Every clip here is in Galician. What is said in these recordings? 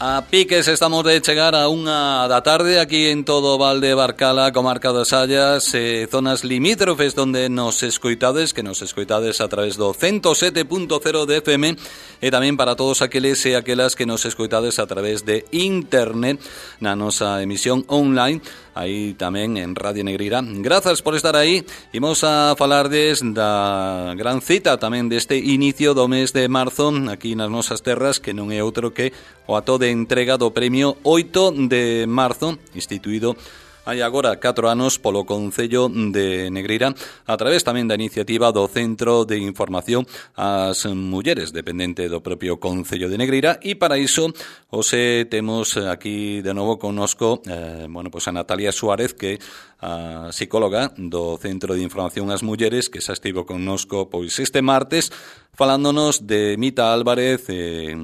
A piques estamos de chegar a unha da tarde aquí en todo o Val de Barcala, comarca das Sallas, zonas limítrofes donde nos escoitades, a través do 107.0 de FM e tamén para todos aqueles e aquelas que nos escoitades a través de internet na nosa emisión online, aí tamén en Radio Negreira. Grazas por estar aí. Imos a falardes da gran cita tamén deste inicio do mes de marzo aquí nas nosas terras, que non é outro que o ato de entrega do premio 8 de marzo, instituído hai agora 4 anos polo Concello de Negreira, a través tamén da iniciativa do Centro de Información ás Mulleres, dependente do propio Concello de Negreira, e para iso hoxe temos aquí de novo connosco a Natalia Suárez, que é a psicóloga do Centro de Información ás Mulleres, que xa estivo connosco pois este martes falándonos de Mita Álvarez,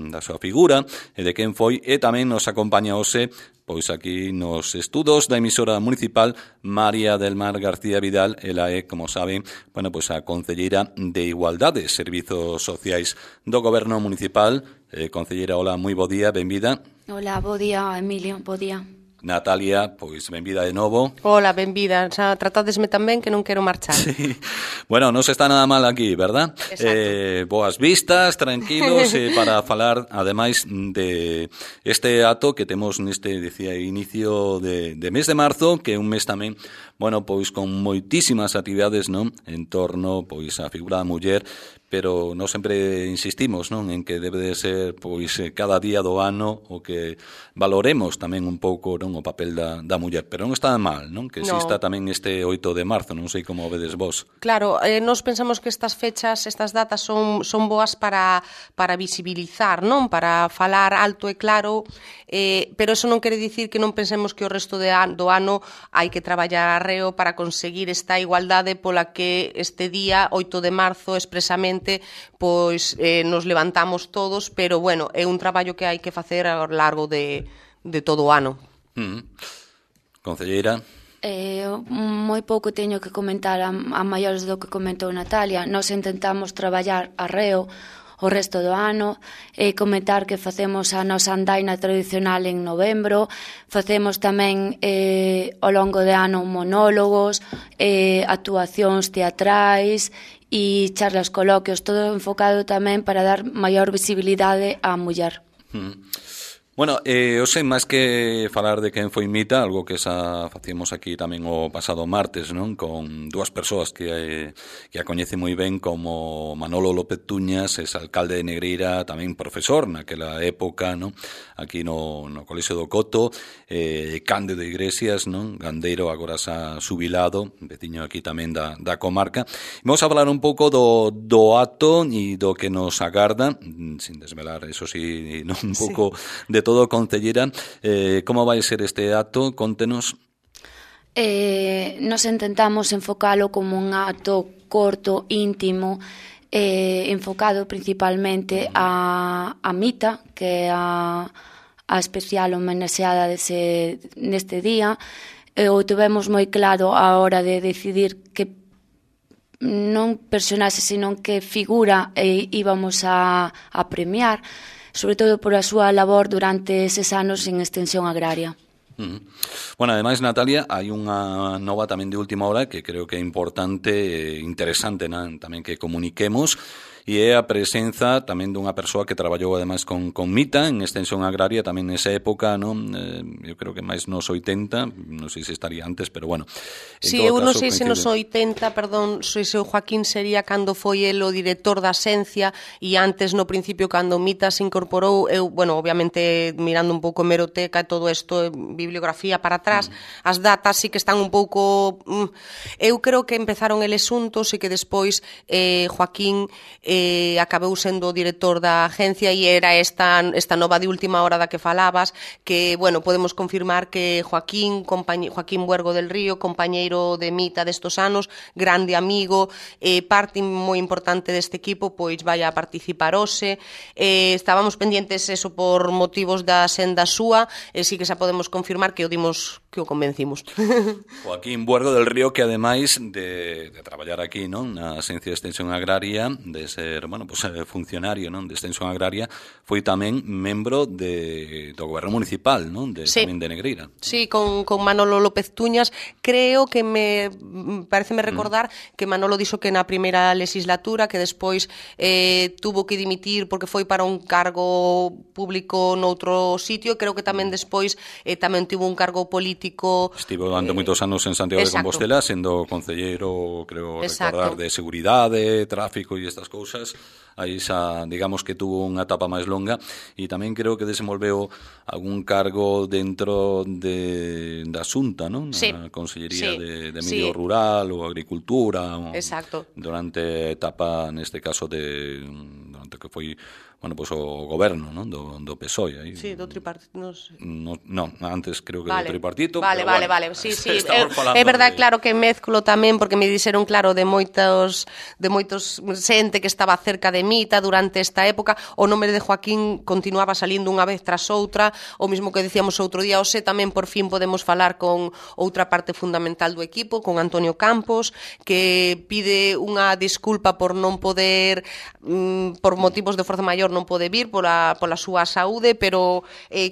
da súa figura e de quen foi, e tamén nos acompaña hoxe pois aquí nos estudos da emisora municipal María del Mar García Vidal. Ela é, como saben, a concelleira de Igualdade e Servizos Sociais do Goberno Municipal. Concelleira, hola, moi bo día, benvida. Hola, bo día, Emilio, bo día. Natalia, pois benvida de novo. Hola, benvida. Xa tratadesme tamén que non quero marchar. Sí. Bueno, non se está nada mal aquí, verdad? Boas vistas, tranquilos, para falar, ademais, de este ato que temos neste, decía, inicio de mes de marzo, que é un mes tamén, con moitísimas actividades, non? En torno, a figura da muller, pero non sempre insistimos, non, en que debe de ser cada día do ano o que valoremos tamén un pouco, non, o papel da muller, pero non está mal, non, que exista tamén este 8 de marzo, non sei como vedes vos. Claro, nós pensamos que estas fechas, estas datas son boas para visibilizar, non, para falar alto e claro, pero eso non quere dicir que non pensemos que o resto do ano hai que traballar arreo para conseguir esta igualdade pola que este día, 8 de marzo, expresamente nos levantamos todos, pero é un traballo que hai que facer ao largo de todo o ano. Concelleira? Moi pouco teño que comentar a maiores do que comentou Natalia. Nós intentamos traballar arreo o resto do ano, comentar que facemos a nosa andaina tradicional en novembro, facemos tamén ao longo de ano monólogos, actuacións teatrais e charlas, coloquios, todo enfocado tamén para dar maior visibilidade á muller. Hoxe, máis que falar de quen foi Mita, algo que xa facíamos aquí tamén o pasado martes, non, con dúas persoas que a coñece moi ben, como Manolo López Tuñas, es alcalde de Negreira, tamén profesor naquela época, non, aquí no Colexio do Coto, Cándido Iglesias, non, gandeiro agora xa xubilado, veciño aquí tamén da comarca. Vamos a falar un pouco do ato e do que nos agarda, sin desvelar, eso sí, non, un pouco de todo, concellera. Como vai ser este acto? Contenos. Nos intentamos enfocalo como un acto corto, íntimo, enfocado principalmente a Mita, que é a especial homenaxeada neste día. O tivemos moi claro a hora de decidir que non personaxe, senón que figura íbamos a premiar, sobre todo por a súa labor durante eses anos en extensión agraria. Ademais, Natalia, hai unha nova tamén de última hora que creo que é importante e interesante tamén que comuniquemos, e é a presenza tamén dunha persoa que traballou ademais con Mita en extensión agraria tamén nesa época, non? Eu creo que máis nos 80, non sei se estaría antes, pero bueno. Si, eu non sei se nos 80, perdón, se o Joaquín sería cando foi el o director da Xencia, e antes no principio cando Mita se incorporou, eu, obviamente mirando un pouco hemeroteca e todo isto, bibliografía para atrás, as datas sí que están un pouco... Eu creo que empezaron eles xuntos e que despois Joaquín acabou sendo o director da agencia, e era esta nova de última hora da que falabas, que, podemos confirmar que Joaquín Buergo del Río, compañeiro de Mita destos anos, grande amigo, parte moi importante deste equipo, pois vai a participar hoxe. Estábamos pendientes eso por motivos da senda súa, e sí que xa podemos confirmar que o convencimos. Joaquín Buergo del Río, que ademais de traballar aquí, non, na Agencia de Extensión Agraria, de ser, funcionario, non, de Extensión Agraria, foi tamén membro do goberno municipal, non? Tamén de Negreira. Sí, con Manolo López Tuñas. Creo que pareceme recordar que Manolo dixo que na primeira legislatura, que despois tuvo que dimitir porque foi para un cargo público noutro sitio. Creo que tamén despois tamén tivo un cargo político. Estivo durante moitos anos en Santiago de Compostela, sendo concelleiro, creo recordar, de seguridade, tráfico e estas cousas. Aí xa, digamos que tuvo unha etapa máis longa, e tamén creo que desenvolveu algún cargo dentro da Xunta, non? Na Consellería de Medio Rural ou Agricultura. Exacto. Durante a etapa, neste caso, durante que foi o goberno, non? Do PSOE. Aí. Sí, do tripartito, non sei. Non, antes creo que do tripartito. Vale. Sí. É verdade, claro que mezclo tamén, porque me dixeron, claro, de moitos xente que estaba cerca de Mita durante esta época. O nome de Joaquín continuaba salindo unha vez tras outra, o mismo que decíamos outro día. Tamén por fin podemos falar con outra parte fundamental do equipo, con Antonio Campos, que pide unha disculpa por non poder, por motivos de forza maior, non pode vir pola súa saúde, pero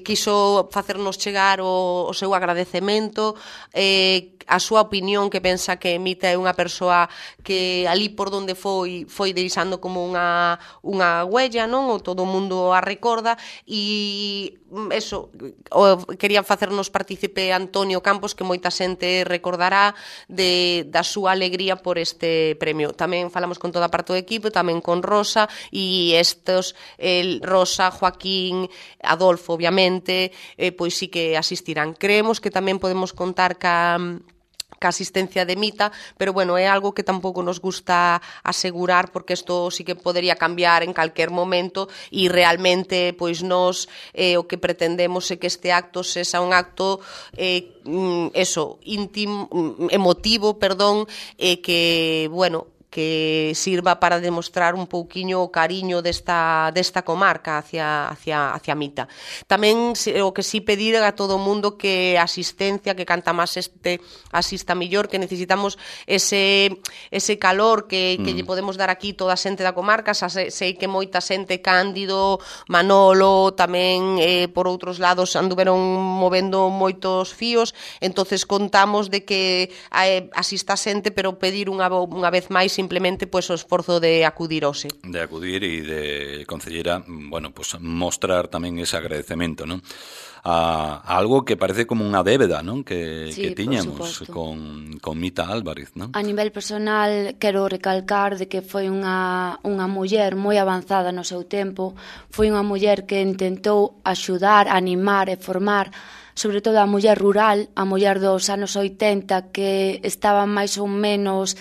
quiso facernos chegar o seu agradecemento, a súa opinión, que pensa que Mita é unha persoa que ali por donde foi deixando como unha huella, non? O todo o mundo a recorda, e eso, quería facernos partícipe Antonio Campos, que moita xente recordará da súa alegría por este premio. Tamén falamos con toda a parte do equipo, tamén con Rosa, e Rosa, Joaquín, Adolfo, obviamente, pois sí que asistirán. Creemos que tamén podemos contar ca asistencia de Mita, pero bueno, é algo que tampouco nos gusta asegurar, porque isto sí que podería cambiar en calquer momento, e realmente pois nós o que pretendemos é que este acto sexa un acto íntimo, emotivo, que, bueno, que sirva para demostrar un pouquiño o cariño desta comarca hacia Mita. Tamén o que sí pedir a todo o mundo que asistencia, que canta máis asista millor, que necesitamos ese calor que lle podemos dar aquí toda a xente da comarca. Sei que moita xente, Cándido, Manolo, tamén por outros lados anduveron movendo moitos fíos, entonces contamos de que asista xente, pero pedir unha vez máis simplemente o esforzo de acudir hoxe. De acudir e de, concellera, mostrar tamén ese agradecemento, non? A algo que parece como unha débeda, non? Que tiñamos con Mita Álvarez, non? A nivel personal, quero recalcar de que foi unha muller moi avanzada no seu tempo, foi unha muller que intentou axudar, animar e formar, sobre todo a muller rural, a muller dos anos 80, que estaba máis ou menos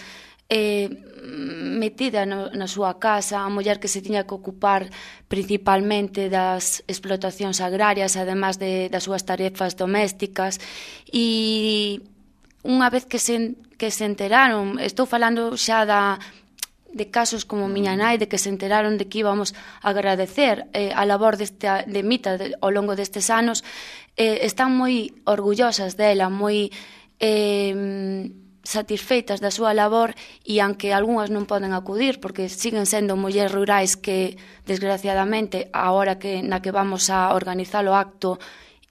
metida na súa casa, a muller que se tiña que ocupar principalmente das explotacións agrarias, además das súas tarefas domésticas, e unha vez que se enteraron, estou falando xa de casos como miña nai, de que se enteraron de que íbamos a agradecer a labor de Mita ao longo destes anos, están moi orgullosas dela, moi satisfeitas da súa labor, e aunque algunhas non poden acudir porque siguen sendo mulleres rurais que, desgraciadamente, a hora na que vamos a organizar o acto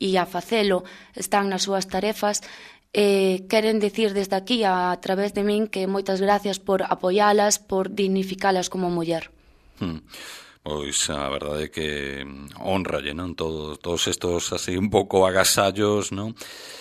e a facelo, están nas súas tarefas, queren dicir desde aquí, a través de min, que moitas gracias por apoialas, por dignificalas como muller. Pois a verdade é que honralle, non? Todos estos así un pouco agasallos, non?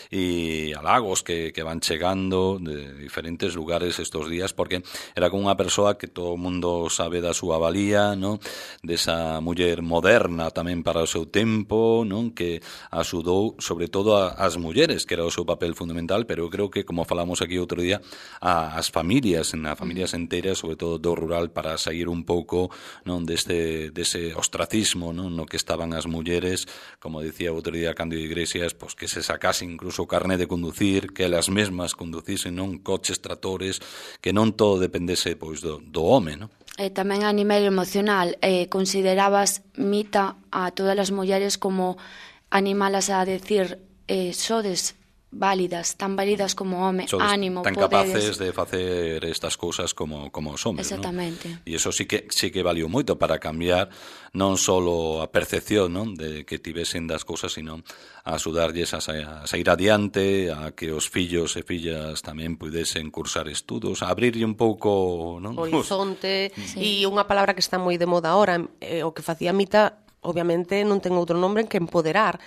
E halagos que van chegando de diferentes lugares estos días, porque era como unha persoa que todo o mundo sabe da súa valía, non? Desa muller moderna tamén para o seu tempo, non? Que axudou sobre todo as mulleres, que era o seu papel fundamental, pero eu creo que, como falamos aquí outro día, as familias enteras, sobre todo do rural, para sair un pouco, non, dese ostracismo, non, no que estaban as mulleres, como dicía outro día Cándido Iglesias, pois que se sacase incluso o carné de conducir, que elas mesmas conducisen, non, coches, tractores, que non todo dependese pois do home, non? Tamén a nivel emocional, considerabas, Mita, a todas as mulleres como animalas a decir, sodes válidas, tan válidas como home, ánimo, tan poderes. capaces de facer estas cousas como os homes, exactamente, E iso sí que valió moito para cambiar non só a percepción, non, de que tivesen das cousas, sino a axudarlles a sair adiante, a que os fillos e fillas tamén pudesen cursar estudos, a abrirlle un pouco, non, horizonte. E unha palabra que está moi de moda ahora, o que facía Mita, obviamente non ten outro nombre que empoderar,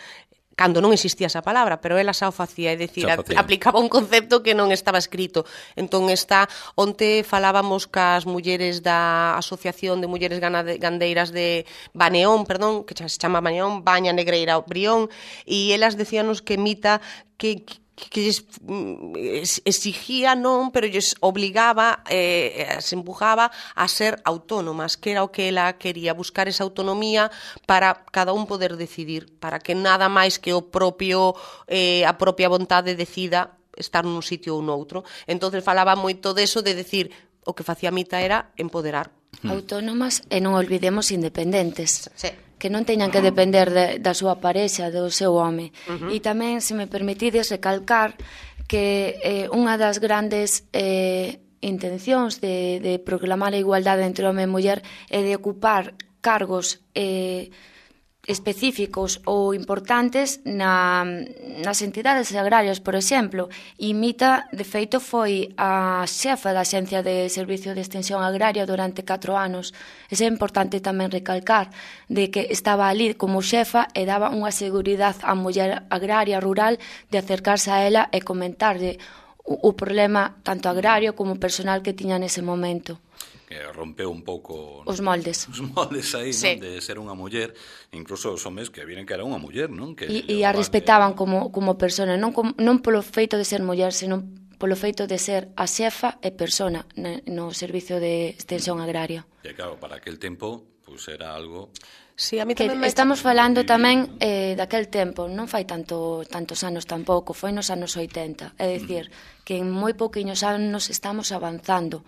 cando non existía esa palabra, pero ela xa o facía, é dicir, aplicaba un concepto que non estaba escrito. Entón, onte falábamos cas mulleres da Asociación de Mulleres Gandeiras de Baneón, que se chama Baneón, Baña Negreira Brión, e elas decíanos que Mita que lles exigía, non, pero lles obligaba, se empujaba a ser autónomas, que era o que ela quería, buscar esa autonomía para cada un poder decidir, para que nada máis que a propia vontade decida estar nun sitio ou noutro. Entonces falaba moito deso de decir, o que facía Mita era empoderar. Autónomas e non olvidemos independentes. Sí. Que non teñan que depender da súa parexa, do seu home. E tamén, se me permitides, recalcar que unha das grandes intencións de proclamar a igualdade entre home e muller é de ocupar cargos específicos ou importantes nas entidades agrarias, por exemplo. E Mita, de feito, foi a xefa da Axencia de Servicio de Extensión Agraria durante 4 anos. É importante tamén recalcar de que estaba ali como xefa e daba unha seguridade á muller agraria rural de acercarse a ela e comentarlle o problema tanto agrario como personal que tiña nese momento. Que rompeu un pouco os moldes aí, sí, non, de ser unha muller, incluso os homes que viren que era unha muller, non? E a respetaban como persona, non polo feito de ser muller, senón polo feito de ser a xefa e persona no servicio de extensión agraria. E claro, para aquel tempo, pues era algo... Sí, a mí que estamos falando tamén daquel tempo, non fai tantos anos tampouco, foi nos anos 80, é dicir, que en moi pouquiños anos estamos avanzando.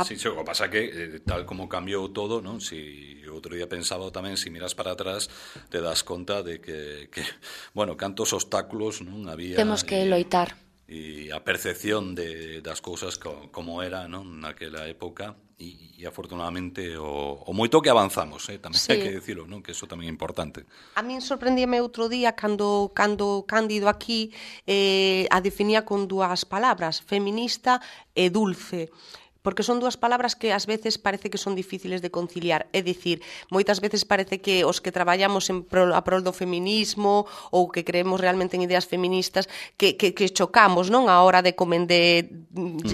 Sí, o que pasa que tal como cambiou todo, non? Si outro día pensaba tamén, si miras para atrás, te das conta de que bueno, cantos obstáculos non había. Temos que loitar. E a percepción das cousas como era, non, naquela época, e afortunadamente o moito que avanzamos, tamén sí, hai que dicilo, non, que iso tamén é importante. A min sorprendíame outro día cando Cándido aquí a definía con 2 palabras, feminista e dulce, porque son 2 palabras que ás veces parece que son difíciles de conciliar. É dicir, moitas veces parece que os que traballamos a prol do feminismo ou que creemos realmente en ideas feministas que chocamos, non, a hora de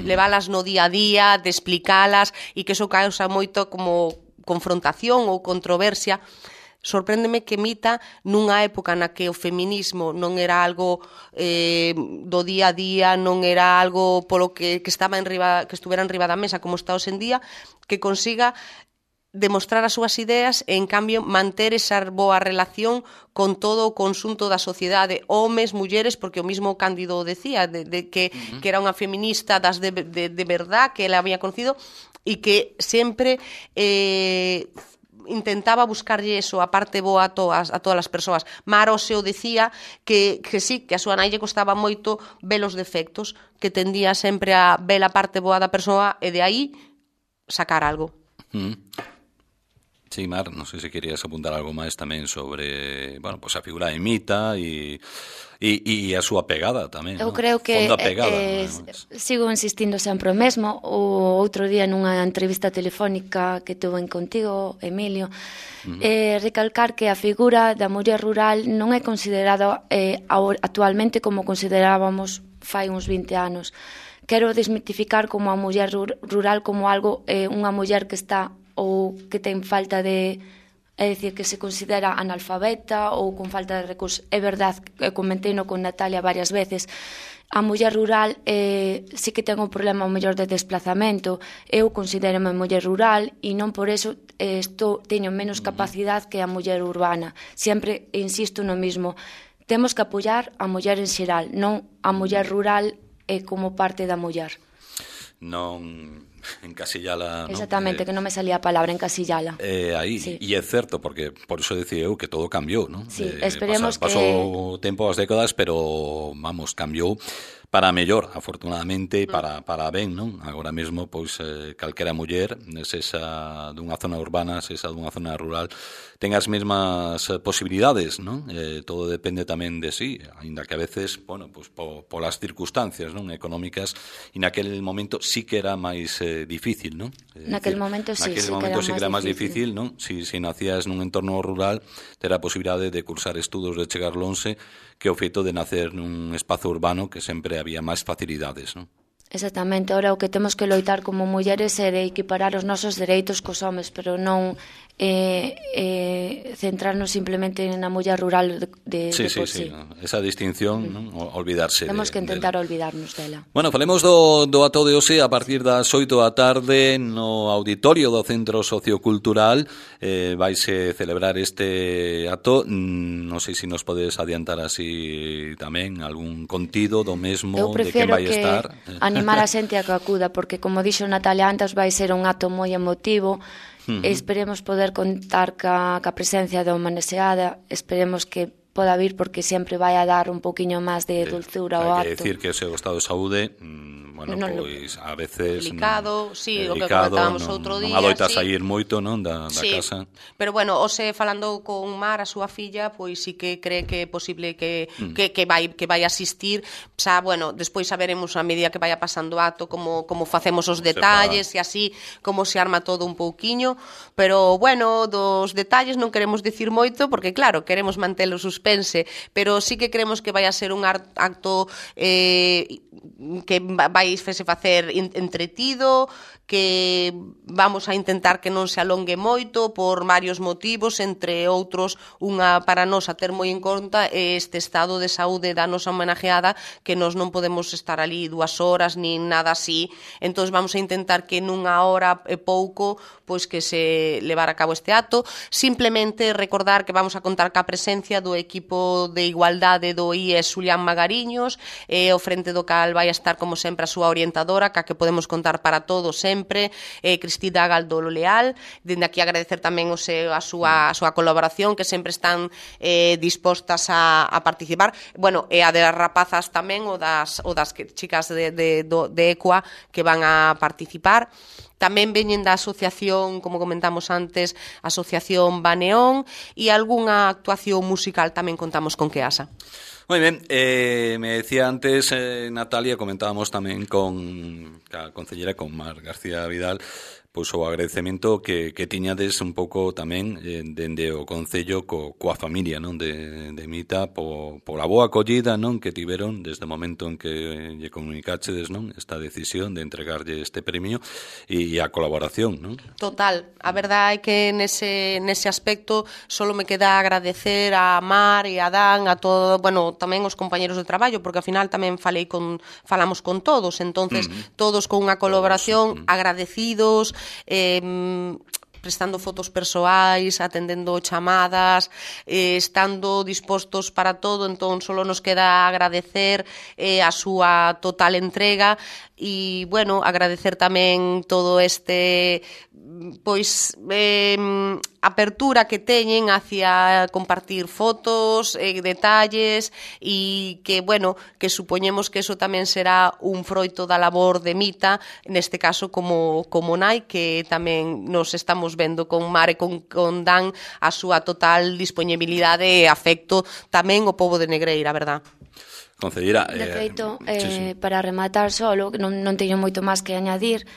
leválas no día a día, de explicalas, e que eso causa moito como confrontación ou controversia. Sorpréndeme que Mita, nunha época na que o feminismo non era algo do día a día, non era algo polo que estuvera en riba da mesa como está hoxe en día, que consiga demostrar as súas ideas e, en cambio, manter esa boa relación con todo o conxunto da sociedade, homes, mulleres, porque o mismo Cándido decía, de que era unha feminista das de verdad, que ela había conocido, e que sempre intentaba buscarlle eso, a parte boa a todas as persoas. Maro se o decía que sí, que a súa nai lle costaba moito ver os defectos, que tendía sempre a ver a parte boa da persoa e de aí sacar algo. Sí, Mar, non sei se querías apuntar algo máis tamén sobre, bueno, pues a figura de Mita e a súa pegada tamén. Eu creo que sigo insistindo sempre o mesmo. O outro día nunha entrevista telefónica que tuve contigo, Emilio, recalcar que a figura da muller rural non é considerada actualmente como considerábamos fai uns 20 anos. Quero desmitificar como a muller rural como algo, unha muller que está ou que ten falta de, é dicir, que se considera analfabeta ou con falta de recursos. É verdade, comenteino con Natalia varias veces, a muller rural sí que ten un problema o mellor de desplazamento. Eu considero-me muller rural e non por eso teño menos capacidade que a muller urbana. Sempre insisto no mismo, temos que apoiar a muller en xeral, non a muller rural como parte da muller. Non, encasillala, exactamente, que non me salía a palabra, encasillala. Aí, sí. E é certo, porque por iso decía eu que todo cambiou, non? Sí, esperemos que... Pasou tempo, as décadas, pero, vamos, cambiou para mellor, afortunadamente, para ben, non? Agora mesmo, pois, calquera muller, sesa dunha zona urbana, sesa dunha zona rural, ten as mesmas posibilidades, non? Todo depende tamén de sí, aínda que a veces, bueno, pois, polas circunstancias, non? Económicas, e naquel momento sí que era máis difícil, non? Naquel momento sí que era máis difícil, non? Si nacías nun entorno rural, ter a posibilidade de cursar estudos, de chegar lonxe, que o feito de nacer nun espazo urbano que sempre había máis facilidades, non? Exactamente, ahora o que temos que loitar como mulleres é de equiparar os nosos dereitos cos homes, pero non centrarnos simplemente na muller rural de por sí. Esa distinción, non? Olvidarse. Temos que intentar olvidarnos dela. Bueno, falemos do acto de hoxe a partir das 8 da tarde no auditorio do Centro Sociocultural. Vaise celebrar este acto. Non sei se nos podes adiantar así tamén algún contido do mesmo, de quen vai estar. Eu prefiro animar a xente a que acuda, porque como dixo Natalia antes, vai ser un acto moi emotivo. Esperemos poder contar ca presencia da Humaneseada, esperemos que poda vir porque sempre vai a dar un poquinho máis de dulzura ao acto. Hai que decir que o seu estado de saúde, bueno, pois a veces delicado, sí, o que comentábamos outro día, non adoita sair moito, non, da casa. Pero bueno, hoxe falando con Mar, a súa filla, pois sí que cree que é posible que vai asistir, xa, bueno, despois saberemos a medida que vaya pasando o acto como facemos os detalles e así como se arma todo un pouquiño, pero bueno, dos detalles non queremos dicir moito porque claro, queremos mantelo suspense, pero sí que creemos que vai a ser un acto que vai facer entretido, que vamos a intentar que non se alongue moito por varios motivos, entre outros, unha para nós a ter moi en conta este estado de saúde da nosa homenajeada, que nós non podemos estar ali 2 horas nin nada así, entón vamos a intentar que nunha hora e pouco pois que se levar a cabo este acto. Simplemente recordar que vamos a contar ca presencia do equipo de igualdade do IES Xulián Magariños, ao frente do cal vai a estar como sempre a súa orientadora, ca que podemos contar para todos sempre, Cristina Galdolo Leal. Dende aquí agradecer tamén a súa colaboración, que sempre están dispostas a participar. Bueno, e a de as rapazas tamén, o das chicas de ECUA que van a participar. Tamén veñen da asociación, como comentamos antes, Asociación Baneón, e algunha actuación musical tamén contamos con Keasa. Moi ben, me decía antes Natalia, comentábamos tamén con a concelleira, con Mar García Vidal, pois o agradecemento que tiñades un pouco tamén dende o Concello coa familia, non, de Mita, pola boa acollida, non, que tiveron desde o momento en que lle comunicachedes, non, esta decisión de entregarlle este premio e a colaboración, non? Total, a verdade é que nese aspecto solo me queda agradecer a Mar e a Dan, a todo, bueno, tamén os compañeros de traballo, porque ao final tamén falamos con todos, entonces todos con unha colaboración, agradecidos, prestando fotos persoais, atendendo chamadas, estando dispostos para todo, entón solo nos queda agradecer a súa total entrega e, bueno, agradecer tamén todo este pois apertura que teñen hacia compartir fotos, detalles e que, bueno, que supoñemos que eso tamén será un froito da labor de Mita, neste caso como nai, que tamén nos estamos vendo con Mar e con Dan a súa total disponibilidade e afecto tamén o pobo de Negreira, verdad? Concellera, de feito, para rematar solo, non teño moito máis que añadir,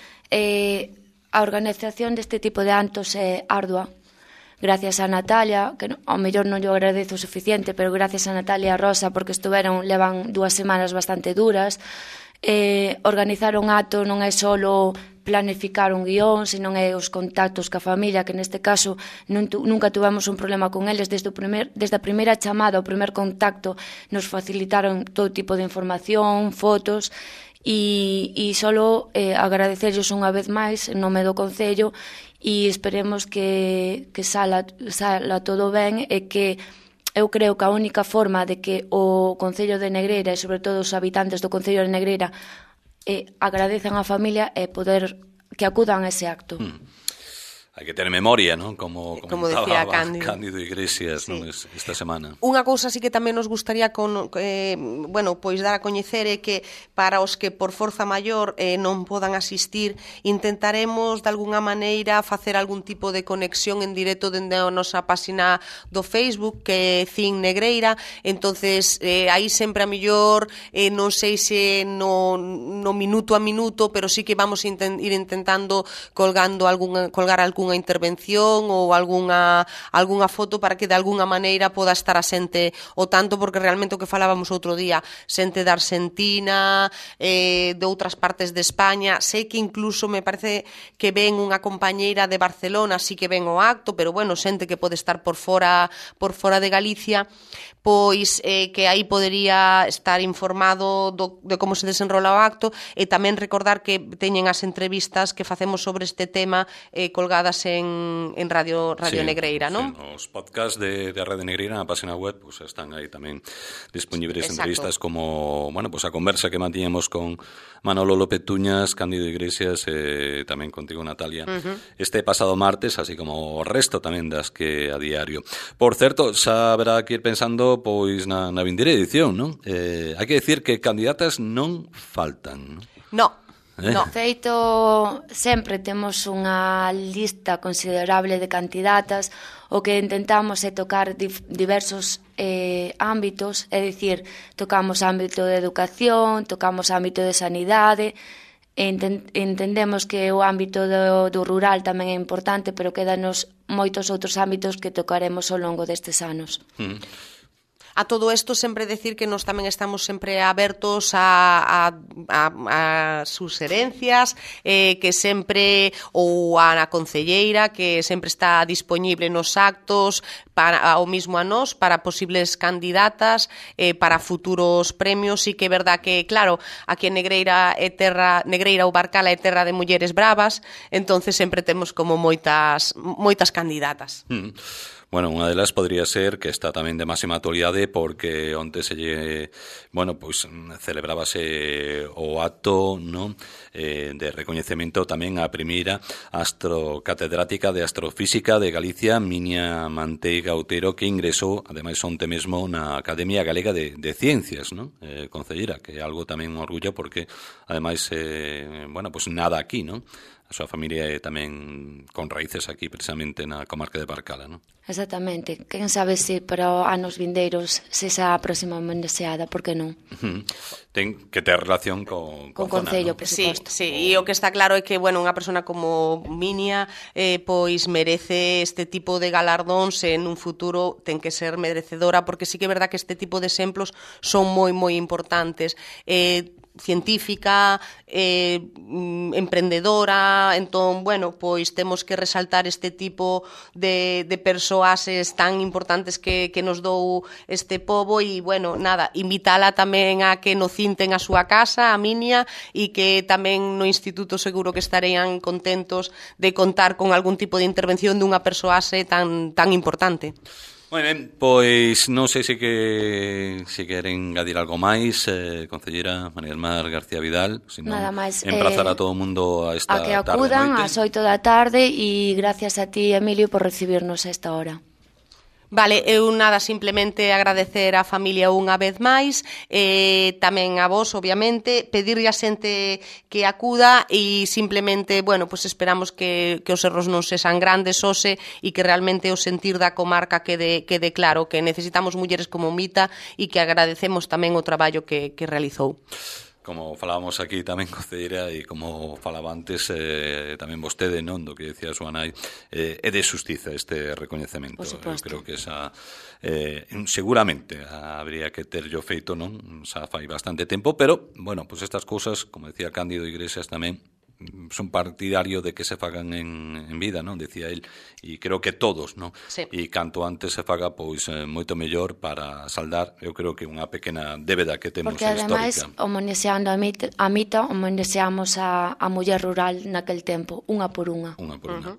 a organización deste tipo de actos é ardua. Gracias a Natalia, que ao mellor non lle agradezo o suficiente, pero gracias a Natalia e a Rosa, porque levan 2 semanas bastante duras. Organizar un acto non é solo planificar un guión, senón é os contactos ca familia, que neste caso nunca tuvemos un problema con eles. Desde a primeira chamada, o primer contacto, nos facilitaron todo tipo de información, fotos, e solo agradecerlos unha vez máis en nome do Concello, e esperemos que sala todo ben, e que eu creo que a única forma de que o Concello de Negreira e sobre todo os habitantes do Concello de Negreira agradezan á familia é poder acudan a ese acto. Hai que ter memoria, non? Como decía Cándido Iglesias, non? Esta semana. Unha cousa sí que tamén nos gustaría pois dar a coñecer é que para os que por forza maior non podan asistir, intentaremos de algunha maneira facer algún tipo de conexión en directo dende a nosa páxina do Facebook, que é Cin Negreira. Entonces aí sempre a mellor non sei se no minuto a minuto, pero sí que vamos ir intentando colgar algunha intervención ou algunha foto para que de algunha maneira poda estar a xente o tanto, porque realmente o que falábamos outro día, xente de Argentina, de outras partes de España, sei que incluso me parece que ven unha compañeira de Barcelona, sí que ven o acto, pero bueno, xente que pode estar por fora de Galicia, pois que aí podería estar informado de como se desenrola o acto, e tamén recordar que teñen as entrevistas que facemos sobre este tema colgadas en Radio Negreira, non? Os podcasts de Radio Negreira na página web pues están aí tamén disponibles. Exacto. Entrevistas como, a conversa que mantíamos con Manolo López Tuñas, Cándido Iglesias, tamén contigo, Natalia, este pasado martes, así como o resto tamén das que a diario. Por certo, xa haberá que ir pensando pois na vindeira edición, non? Hai que decir que candidatas non faltan, non? No. No, feito, sempre temos unha lista considerable de candidatas. O que intentamos é tocar diversos ámbitos, é dicir, tocamos ámbito de educación, tocamos ámbito de sanidade, entendemos que o ámbito do rural tamén é importante, pero quedanos moitos outros ámbitos que tocaremos ao longo destes anos. A todo isto sempre decir que nós tamén estamos sempre abertos a suxerencias, que sempre, ou a concelleira, que sempre está disponible nos actos, ao mismo a nós, para posibles candidatas, para futuros premios. E que é verdad que, claro, aquí en Negreira ou Barcala é terra de mulleres bravas, entonces sempre temos como moitas candidatas. Bueno, unha delas podría ser que está tamén de máxima actualidade porque onte celebrábase o acto, non, de recoñecemento tamén a primeira astrocatedrática de astrofísica de Galicia, Minia Manteiga Outero, que ingresou, ademais, onte mesmo na Academia Galega de Ciencias, non? Concelleira, que é algo tamén un orgullo porque, ademais, nada aquí, non? A súa familia é tamén con raíces aquí, precisamente na comarca de Barcala, non? Exactamente. Quen sabe se para anos vindeiros se esa próxima homenaxeada, por que non? Ten que ter relación con Concello, ¿no? por suposto. Sí, e o que está claro é que, unha persona como Minia pois merece este tipo de galardóns, en un futuro ten que ser merecedora, porque sí que é verdad que este tipo de exemplos son moi importantes. Científica, emprendedora, entón, pois temos que resaltar este tipo de persoases tan importantes que nos dou este pobo e, invitala tamén a que no cinten a súa casa, a Minia, e que tamén no instituto seguro que estarían contentos de contar con algún tipo de intervención dunha persoase tan importante. Moi ben, pois non sei se queren engadir algo máis, concelleira María del Mar García Vidal, senón nada máis, emprazar a todo o mundo a esta tarde. A que acudan ás 8 da tarde e gracias a ti, Emilio, por recibirnos a esta hora. Vale, eu nada, simplemente agradecer á familia unha vez máis, tamén a vos, obviamente, pedirlle a xente que acuda e simplemente, esperamos que os erros non sexan grandes hoxe e que realmente o sentir da comarca quede claro, que necesitamos mulleres como Mita e que agradecemos tamén o traballo que realizou. Como falábamos aquí tamén, concelleira, e como falaba antes tamén vostede, non, do que decía a súa nai, é de xustiza este recoñecemento. Eu creo que esa seguramente habría que ter yo feito, non, xa fai bastante tempo, pero, estas cousas, como decía Cándido Iglesias tamén, son partidario de que se fagan en vida, non? Decía el, e creo que todos, non? Sí. E canto antes se faga, pois moito mellor para saldar, eu creo que unha pequena débeda que temos histórica. Porque ademais, homenaxeando a Mita, homenaxeamos a muller rural naquel tempo, unha por unha. Unha por unha.